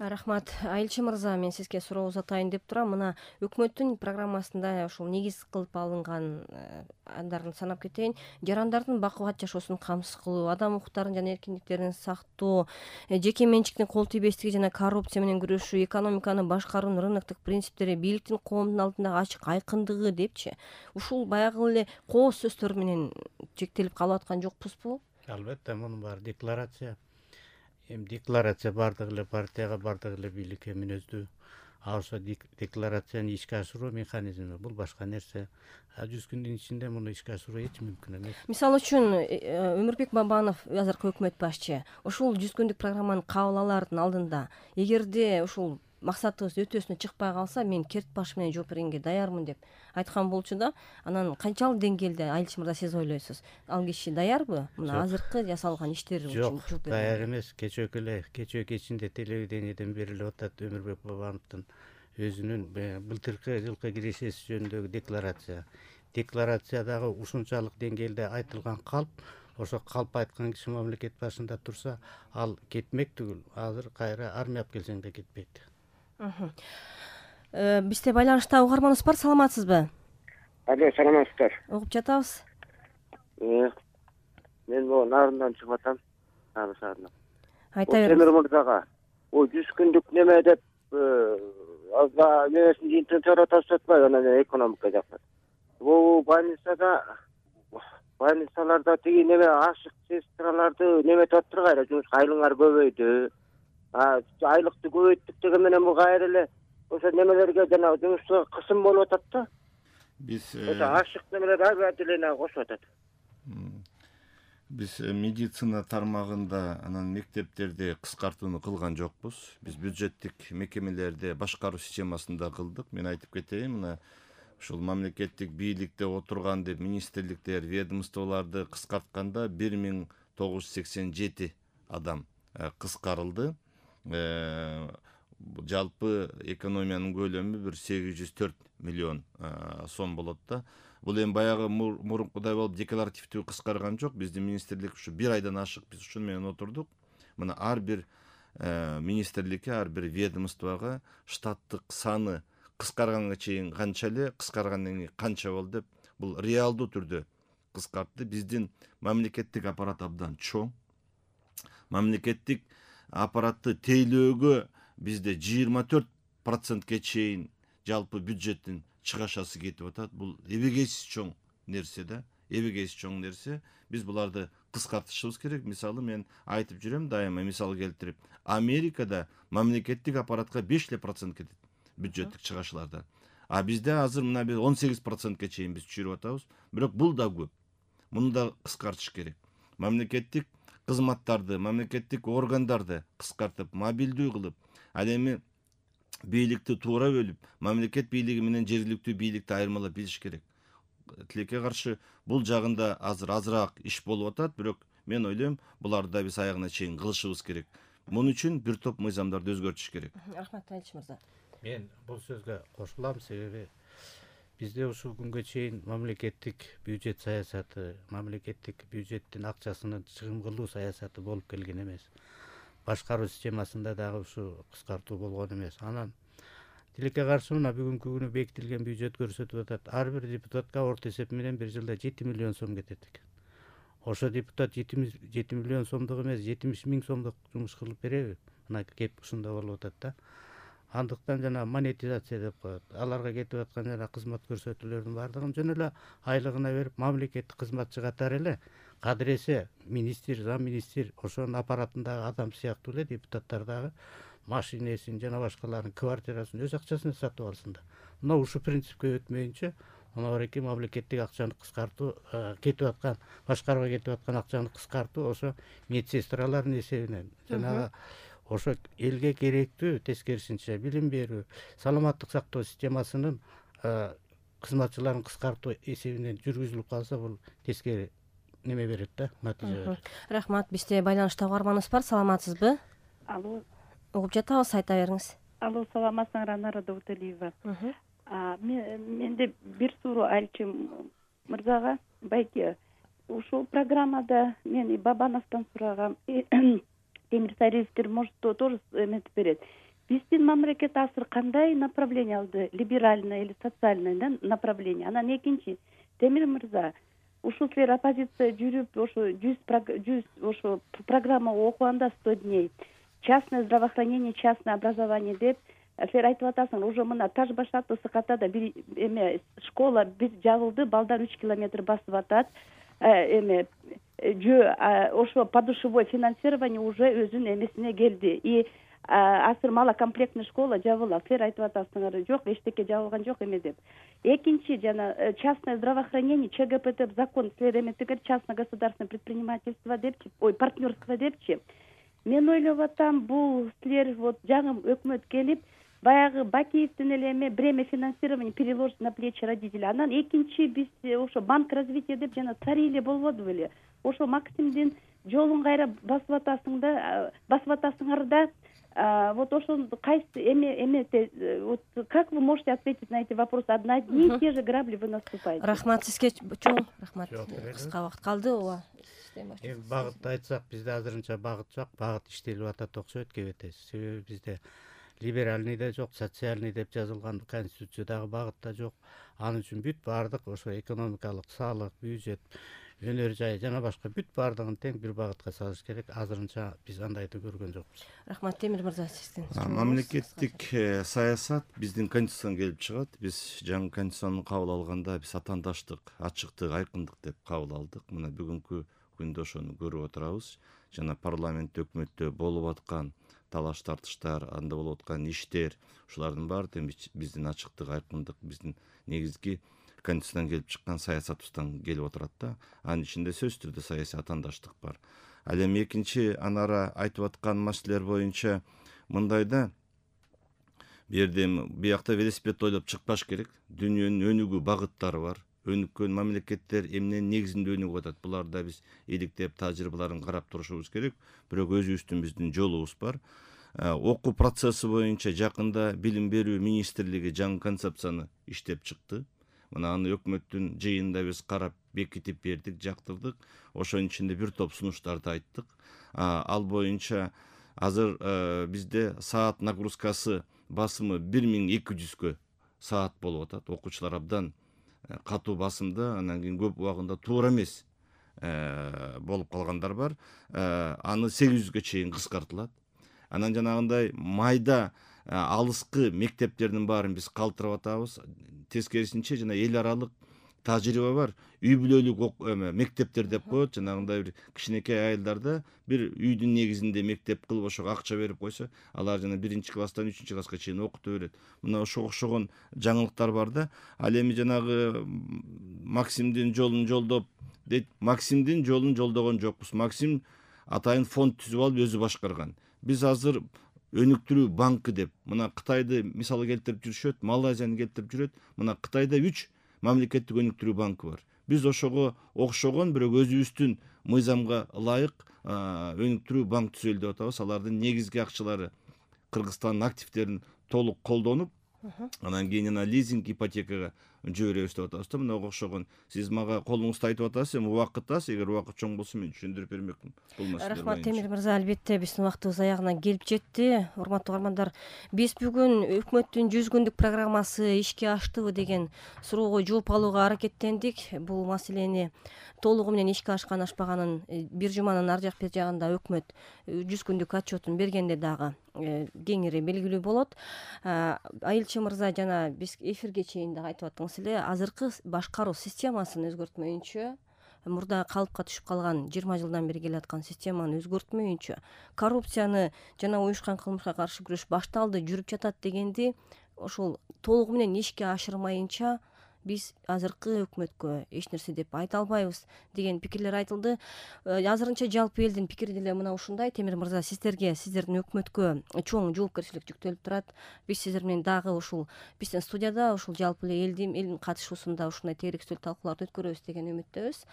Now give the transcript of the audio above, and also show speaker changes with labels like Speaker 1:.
Speaker 1: Рахмат. Айылчы мырза, мен сизге суроо узатайын деп турам. Мына өкмөттүн программасында ушул негиз кылып алынган андарын санап кетейин. Жарандардын бакубат жашоосун камсыз кылуу, адам укуктарын жана эркиндиктерин сактоо, жеке менчиктин кол тийбестиги жана коррупция менен күрөшүү, экономиканы башкаруунун рыноктук принциптери, бийликтин коомдун алдындагы ачык айкындыгы депчи. Ушул баягы эле кооз сөздөр менен чектелип калып аткан жокпузбу?
Speaker 2: Албетте, мунун баары декларация. Декларация бардык эле партияга, бардык эле бийликке мүнөздүү. Ошо декларацияны ишке ашыруу механизми бул башка нерсе. 100 күндүн ичинде муну ишке ашыруу эч мүмкүн эмес.
Speaker 1: Мисалы үчүн Өмүрбек Бабанов, азыркы өкмөт башчы, ушул 100 күндүк программаны кабыл алаардын алдында эгерде ушул максатыбыз өтөөсүнө чыкпай калса, мен керт баш менен жооп бергенге даярмын деп айткан болчу да. Анан канчалык деңгээлде, Айылчы мырза, сиз ойлойсуз? Ал киши даярбы мына азыркы жасалган иштер үчүн жооп берүүгө?
Speaker 2: Даяр эмес. Кечээ кечинде телевидениеден берилип атат Өмүрбек Бабановдун өзүнүн былтыркы жылкы кирешеси жөнүндөгү декларация. Декларациядагы ушунчалык деңгээлде айтылган калп, ошо калп айткан киши мамлекет башында турса, ал кетмек түгүл, азыр кайра армия алып келсең да кетпейт.
Speaker 1: Бизде байланышта угарманыбыз бар, саламатсызбы?
Speaker 3: Алло, саламатсыздар.
Speaker 1: Угуп жатабыз.
Speaker 3: Мен могу Нарындан чыгып атам. Нарын шаарынан.
Speaker 1: Айта бериңиз.
Speaker 3: Темир мырзага 100 күндүк неме деп азга немесин жыйынтыгын чогултуп атпайбы, анан экономика жакта. Бул больницаларда тиги неме ашык сестраларды неметип атыптыр, кайра жумушка айлыңар көбөйдү. Айлыкты көбөйттүк деген менен бул кайра эле ошо немелерге жана жумушчуга кысым болуп атат да.
Speaker 4: Биз
Speaker 3: ашык немелер агротеленага кошуп атат.
Speaker 4: Биз медицина тармагында анан мектептерде кыскартууну кылган жокпуз. Биз бюджеттик мекемелерде башкаруу системасында кылдык. Мен айтып кетейин, мына ушул мамлекеттик бийликте отурган деп министрликтер, ведомстволорду кыскартканда 1987 адам кыскарылды. Жалпы экономиянын көлөмү 804 миллион сом болот да. Бул эми баягы мурункудай болуп декларативдүү кыскарган жок. Биздин министрлик ушу 1 айдан ашык биз ушуну менен отурдук. Мына ар бир министрликке, ар бир ведомствого штаттык саны кыскарганга чейин канча эле, кыскаргандан кийин канча болду деп бул реалдуу түрдө кыскартты. Биздин мамлекеттик аппарат абдан чоң. Мамлекеттик аппаратты тейлөөгө бизде 24%ке чейин жалпы бюджеттин чыгашасы кетип атат. Бул эбегейсиз чоң нерсе да, эбегейсиз чоң нерсе. Биз буларды кыскартышыбыз керек. Мисалы мен айтып жүрөм дайыма, мисал келтирип, Америкада мамлекеттик аппаратка 5% кетет бюджеттик чыгашылардан. Бизде азыр мына 18%ке чейин биз чыгырып атабыз. Бирок бул да көп. Муну да кыскартыш керек. Мамлекеттик кызматтарды, мамлекеттик органдарды кыскартып, мобилдүү кылып, ал эми бийликти туура бөлүп, мамлекет бийлиги менен жергиликтүү бийликти айырмалап билиш керек. Тилекке каршы бул жагында азыраак иш болуп атат, бирок мен ойлойм, буларды да биз аягына чейин кылышыбыз керек. Муну үчүн бир топ мыйзамдарды өзгөртүш керек.
Speaker 1: Рахмат, Айылчы мырза.
Speaker 2: Мен бул сөзгө кошулам, себеби бизде ушул күнгө чейин мамлекеттик бюджет саясаты, мамлекеттик бюджеттин акчасынын чыгым кылуу саясаты болуп келген эмес. Башкаруу системасында дагы ушу кыскартуу болгон эмес. Анан тилекке каршы мына бүгүнкү күнү бекитилген бюджет көрсөтүп атат. Ар бир депутатка орто эсеп менен бир жылда 7 миллион сом кетет экен. Ошо депутат 7 миллион сомдук эмес, 70 миң сомдук жумуш кылып береби? Мына кеп ушунда болуп атат да. Андыктан жана монетизация деп коет. Аларга кетип аткан жана кызмат көрсөтүүлөрдүн баардыгын жөн эле айлыгына берип, мамлекеттик кызматчы катары эле кадыресе министр, зам министр, ошонун аппаратындагы адам сыяктуу эле депутаттар дагы машинесин жана башкаларын квартирасын өз акчасына сатып алсын да. Мына ушу принципке өтмөйүнчө, мына бареки мамлекеттик акчаны кыскартуу, кетип аткан, башкарууга кетип аткан акчаны кыскартуу ошо медсестралардын эсебинен жанагы ошо элге керектүү тескерисинче билим берүү, саламаттык сактоо системасынын кызматчыларын кыскартуу эсебинен жүргүзүлүп калса, бул тескери неме берет да, натыйжа берет.
Speaker 1: Рахмат. Бизде байланышта угарманыбыз бар, саламатсызбы?
Speaker 5: Алло.
Speaker 1: Угуп жатабыз, айта бериңиз.
Speaker 5: Алло, саламатсыңар, Анара Дауталиева. Менде бир суроо Айылчы мырзага. Байке, ушул программада мен Бабановдон сурагам. Темир Сарыевскер может тоже эметип берет. биздин мамлекет азыр кандай направление алды, либеральное или социальное направление. Анан экинчи, Темир мырза, ушул силер оппозиция жүрүп ошо 100 ошо программа окуганда 100 дней, частное здравоохранение, частное образование деп силер айтып атасыңар. Уже мына Таш баш аттуу Сыкатада бир школа бир жабылды, балдар 3 километр басып атат. Ошо подушевой финансирование уже өзүнүн эмесине келди. И азыр малокомплектный школа жабылат. Силер айтып атасыңар, жок, эчтеке жабылган жок эме деп. Экинчи, жана частное здравоохранение, ЧГП деп закон силер эметигер частно-государственное предпринимательство депчи, партнерство депчи. Мен ойлоп атам, бул силер вот жаңы өкмөт келип, баягы Бакиевдин эле эме бремя финансирования переложить на плечи родителей. Анан экинчи биз ошо банк развития деп жана цариле болбоду беле. Ошо Максимдин жолун кайра басып атасыңар да, вот ошо кайсы эме вот как вы можете ответить на эти вопросы? Одни и те же грабли вы наступаете.
Speaker 1: Рахмат сизге чоң рахмат. Кыска убакыт калды, ооба.
Speaker 2: Эми багытты айтсак, бизде азырынча багыт жок, багыт иштелип атат окшойт кебетес. Себеби бизде либеральный да жок, социальный деп жазылган конституциядагы багыт да жок. Ал үчүн бүт баардык ошо экономикалык, салык, бюджет, өнөр жай жана башка бүт баардыгын тең бир багытка салыш керек. Азырынча биз андайды көргөн жокпуз.
Speaker 1: Рахмат. Темир мырза, сиздин
Speaker 4: мамлекеттик саясат биздин конституциядан келип чыгат. Биз жаңы конституцияны кабыл алганда биз атаандаштык, ачыктык, айкындык деп кабыл алдык. Мына бүгүнкү күндө ошону көрүп отурабыз. Жана парламент, өкмөттө болуп аткан талаш тартыштар, анда болуп аткан иштер, ушулардын баары биздин ачыктык, айкындык, биздин негизги конституциядан келип чыккан саясатыбыздан келип отурат да. Анын ичинде сөзсүз түрдө саясий атаандаштык бар. Ал эми экинчи анара айтып аткан маселелер боюнча мындай да, биякта велосипед ойлоп чыкпаш керек. Дүйнөнүн өнүгүү багыттары бар. Өнүккөн мамлекеттер эмненин негизинде өнүгүп атат. Буларда биз иликтеп, тажрыйбаларын карап турушубуз керек. Бирок өзүбүздүн биздин жолубуз бар. Окуу процесси боюнча жакында билим берүү министрлиги жаңы концепцияны иштеп чыкты. Мына аны өкмөттүн жыйынында биз карап, бекитип бердик, жактырдык. Ошонун ичинде бир топ сунуштарды айттык. Ал боюнча азыр бизде саат нагрузкасы басымы 1200 саат болуп атат. Окуучулар абдан катуу басымда, анан кийин көп убагында туура эмес болуп калгандар бар. Аны 800 чейин кыскартылат. Анан жанагындай майда алыскы мектептердин баарын биз калтырып атабыз. Тескерисинче жана эл аралык тажрыйба бар. Үй бүлөлүк мектептер деп коет. Жанагындай бир кичинекей айылдарда бир үйдүн негизинде мектеп кылып ошого акча берип койсо, алар жана 1-класстан 3-класска чейин окутуп берет. Мына ошого окшогон жаңылыктар бар да. Ал эми жанагы Максимдин жолун жолдоп дейт. Максимдин жолун жолдогон жокпуз. Максим атайын фонд түзүп алып өзү башкарган. Биз азыр өнүктүрүү банкы деп мына Кытайды мисалы келтирип жүрүшөт, Малайзияны келтирип жүрөт. Мына Кытайда 3 мамлекеттик өнүктүрүү банкы бар. Биз ошого окшогон, бирок өзүбүздүн мыйзамга ылайык өнүктүрүү банк түзөлү деп атабыз. Алардын негизги акчалары Кыргызстандын активдерин толук колдонуп, анан кийин лизинг, ипотекага жиберебиз деп атабыз да. Мына окшогон сиз мага колуңузду айтып атасыз, эми убакыт аз, эгер убакыт чоң болсо мен түшүндүрүп бермекмин.
Speaker 1: Рахмат Темир мырза, албетте биздин убактыбыз аягына келип жетти. Урматтуу угармандар, биз бүгүн өкмөттүн 100 күндүк программасы ишке аштыбы деген суроого жооп алууга аракеттендик. Бул маселени толугу менен ишке ашкан ашпаганын бир жуманын ар жак бер жагында өкмөт 100 күндүк отчетун бергенде дагы кеңири белгилүү болот. Айылчы мырза жана биз эфирге чейин дагы айтып аттыңыз эле, азыркы башкаруу системасын өзгөртмөйүнчө, мурда калыпка түшүп калган 20 жылдан бери келаткан системаны өзгөртмөйүнчө, коррупцияны жана уюшкан кылмышка каршы күрөш башталды, жүрүп жатат дегенди ошол толугу менен ишке ашырмайынча биз азыркы өкмөткө эч нерсе деп айта албайбыз деген пикирлер айтылды. Азырынча жалпы элдин пикири деле мына ушундай. Темир мырза, сиздерге, сиздердин өкмөткө чоң жоопкерчилик жүктөлүп турат. Биз сиздер менен дагы ушул биздин студияда ушул жалпы эле элдин катышуусунда ушундай тегеректүү талкууларды өткөрөбүз деген үмүттөбүз.